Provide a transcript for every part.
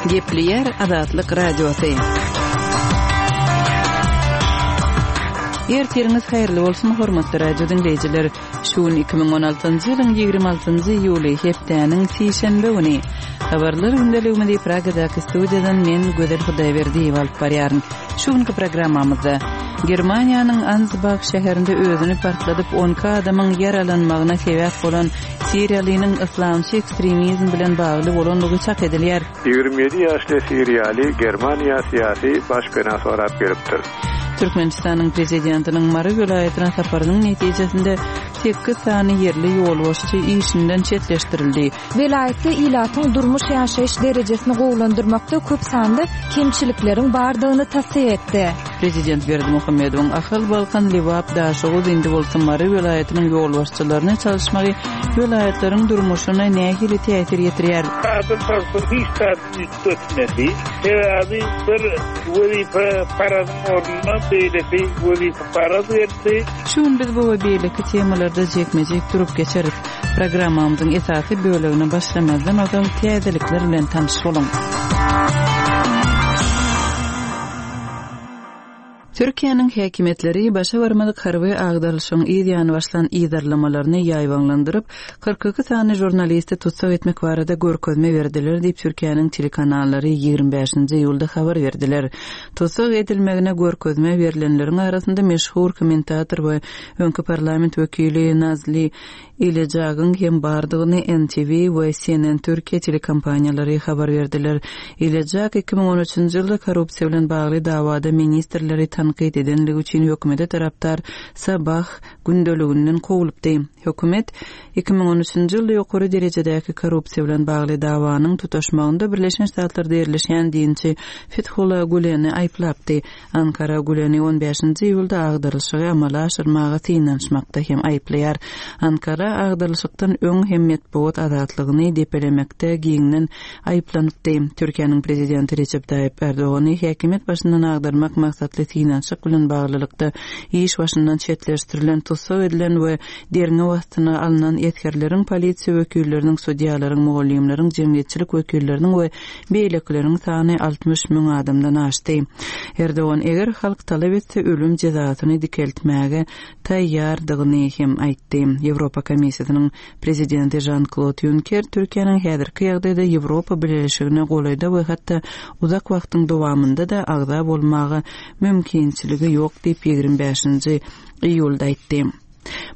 Gepleýär Azatlyk Radiosy. Ertiriňiz haýyrly bolsun, hormatly radio diňleýjiler! Şu gün 2016-njy ýylyň 26-njy iýuly, hepdäniň sişenbe güni. Habarlar gündeligimizi Pragadaky studiýadan men Gözel Hudaýberdiýewa alyp barýaryn. Şu günki programmamyzda Germaniýanyň Ansbach şäherinde özüni partladyp 12 adamyň ýaralanmagyna sebäp bolan siriýalynyň yslamçy ekstremizm bilen bagly bolandygy çak edilýär. 27 ýaşly siriýaly Germaniýa syýasy başpena sorap gelipdir. Türkmenistanyň Prezidentiniň Mary welaýatyna saparynyň netijesinde sekiz sany ýerli ýolbaşçy işinden çetleşdirildi. Welaýatda ilatyň durmuş-ýaşaýyş derejesini gowulandyrmakda köp sanly kemçilikleriň bardygyny tassyk etdi. Prezident Berdimuhamedowyň Ahal, Balkan, Lebap, Daşoguz, indi bolsa Mary welaýatynyň ýolbaşçylaryny çalyşmagy welaýatlaryň durmuşyna nähili täsir ýetirýär? Kadr çalşygy hiç zady üýtgetmedi. Sebäbi bir wezipeparazyň ornuna beýleki wezipeparaz geldi. Şu gün biz bu we beýleki temalarda jikme-jik durup geçeris. Programmamyzyň esasy bölegine başlamazdan ozal täzelikler bilen tanyş boluň. Türkiýäniň häkimiýetleri başa barmadyk harby agdarylyşygyň yz ýany başlan yzarlamalaryny ýaýbaňlandyryp, 42 sany žurnalisti tussag etmek barada görkezme berdiler diýip, Türkiýäniň telekanallary 25-nji iýulda habar berdiler. Tussag edilmegine görkezme berlenleriň arasynda meşhur kommentator we öňki parlament wekili Nazli Ilejagyň hem bardygyny NTV we CNN Türkiye telekompaniýalary habar berdiler. Ilejak 2013-nji ýylda korrupsiýa bilen bagly dawada ministrleri tankyt edenligi üçin hökümete tarapdar Sabah gündeliginden kowlupdy. Hökümet 2013-nji ýylda ýokary derejedäki korrupsiýa bilen bagly dawanyň tutaşmagynda Birleşen Ştatlarda ýerleşýän dinçi Fethullah Güleni aýyplapdy. Ankara Güleni on bäşinji iýulda agdarylyşygy amala aşyrmaga synanyşmakda hem aýyplaýar. Ankara agdarylyşykdan öň hem metbugat azatlygyny depelemekde giňden aýyplanypdy. Türkiýäniň prezidenti Rejep Taýyp Ärdogany häkimiýet başyndan agdarmak maksatly synanyşyk bilen baglylykda iş başyndan çetleşdirilen, tussag edilen we derňew astyna alnan esgerleriň, polisiýa wekilleriniň, sudýalaryň, mugallymlaryň, jemgyýetçilik wekilleriniň we Beýlekileriň sany 60 müň adamdan aşdy. Erdogan eger halk talap etse ölüm jezasyny dikeltmäge taýýardygyny hem aýtdy. Ýewropa Komissiýasynyň Prezidenti Žan-Klod Ýunker Türkiýäniň häzirki ýagdaýda Ýewropa Bileleşigine golaýda we hatda uzak wagtyň dowamynda-da agza bolmaga mümkinçiligi ýok diýip 25-nji iýulda aýtdy.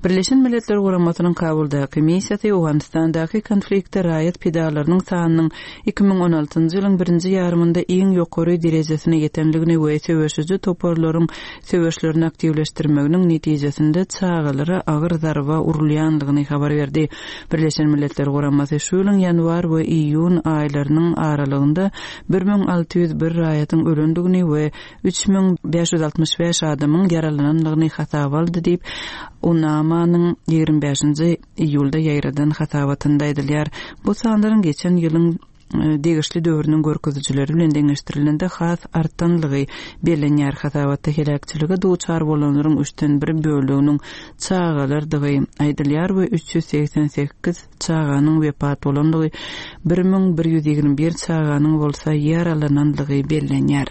Birleşen Milletler Guramasynyň Kabuldaky missiýasy Owganystandaky konfliktde raýat pidalarynyň sanynyň 2016-njy ýylyň birinji ýarymynda iň ýokary derejesine ýetendigini we söweşiji toparlaryň söweşlerini aktiwleşdirmeginiň netijesinde çagalara agyr zarba urulýandygyny habar berdi. Birleşen Milletler Guramasy şu ýylyň ýanwar we iýun aýlarynyň aralygynda 1601 raýatyň ölendigini we 3565 adamyň ýaralanandygyny hasaba aldy diýip, UNAMA-nyň 25-nji iýulda ýaýradan hasabatynda aýdylýar. Bu sanlaryň geçen ýylyň e, degişli döwrüniň görkezijileri bilen deňeşdirilende has artanlygy bellenýär. Hasabatda heläkçilige duçar bolanlaryň üçden bir böleginiň çagalardygy aýdylýar we 388 çaganyň wepat bolandygy, 1121 çaganyň bolsa ýaralanandygy bellenýär.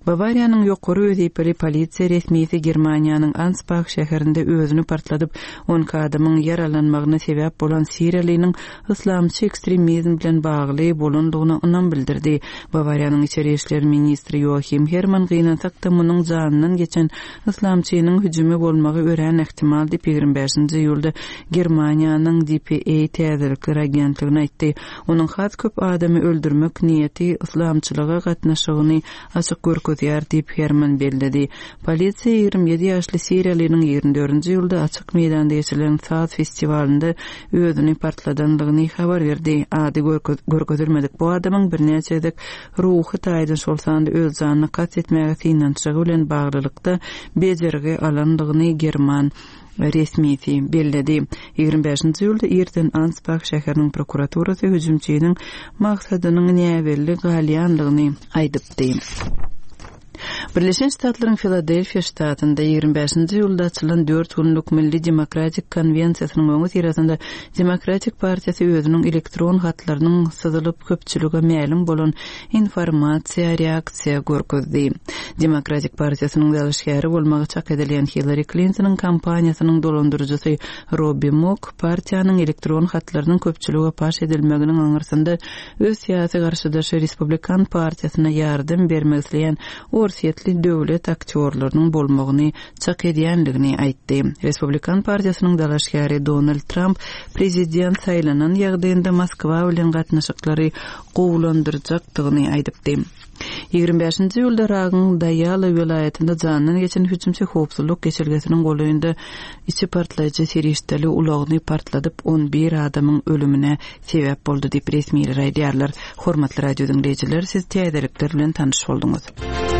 Bawariýanyň ýokary wezipeli polisiýa resmisi Germaniýanyň Ansbach şäherinde özüni partladyp, 12 adamyň ýaralanmagyna sebäp bolan siriýalynyň yslamçy ekstremizm bilen bagly bolandygyna ynam bildirdi. Bawariýanyň içeri işler ministri Ýoahim Hermann gynansak-da munuň janyndan geçen yslamçynyň hüjümi bolmagy örän ähtimal diýip, 25-nji iýulda Germaniýanyň dpa täzelikler agentligine aýtdy. Onuň has köp adamy öldürmek niýeti yslamçylyga gatnaşygyny açyk görkezýär diýip, Herman belledi. Polisiýa 27 ýaşly siriýalynyň 24-nji iýulda açyk meýdanda geçirilen saz festiwalynda özüni partladandygyny habar berdi. Ady görkezilmedik bu adamyň birnäçe gezek ruhy taýdan, şol sanda öz janyna kast etmäge synanyşygy bilen baglylykda bejergi alandygyny german resmisi belledi. 25-nji iýulda irden Ansbah şäheriniň prokuraturasy hüjümçiniň maksadynyň näbelli galýandygyny aýdypdy. Birleşen Ştatlaryň Filadelfiýa ştatynda 25-nji iýulda açylan dört günlük Milli demokratik konwensiýasynyň öňüsyrasynda Demokratik partiýasy özüniň elektron hatlarynyň syzylyp köpçülige mälim bolan informasiýa reaksiýa görkezdi. Demokratik partiýasynyň dalaşgäri bolmagy çak edilýän Hillari Klintonyň kampaniýasynyň dolandyryjysy Robbi Mok partiýanyň elektron hatlarynyň köpçülige paş edilmeginiň aňyrsynda öz syýasy garşydaşy Respublikan partiýasyna ýardam bermek isleýän orsýetli döwlet aktýorlarynyň bolmagyny çak edýändigini aýtdy. Respublikan partiýasynyň dalaşgäri Donald Tramp prezident saýlanan ýagdaýynda Moskwa bilen gatnaşyklary gowulandyrjakdygyny aýdypdy. 25-nji iýulda Yragyň Daýala welaýatynda jandan geçen hüjümçi howpsuzlyk geçelgesiniň golaýynda içi partlaýjy serişdeli ulagyny partladyp, 11 adamyň ölümine sebäp boldy diýip, resmiler aýdýarlar. Hormatly radio diňleýjiler, siz täzelikler bilen tanyş bolduňyz.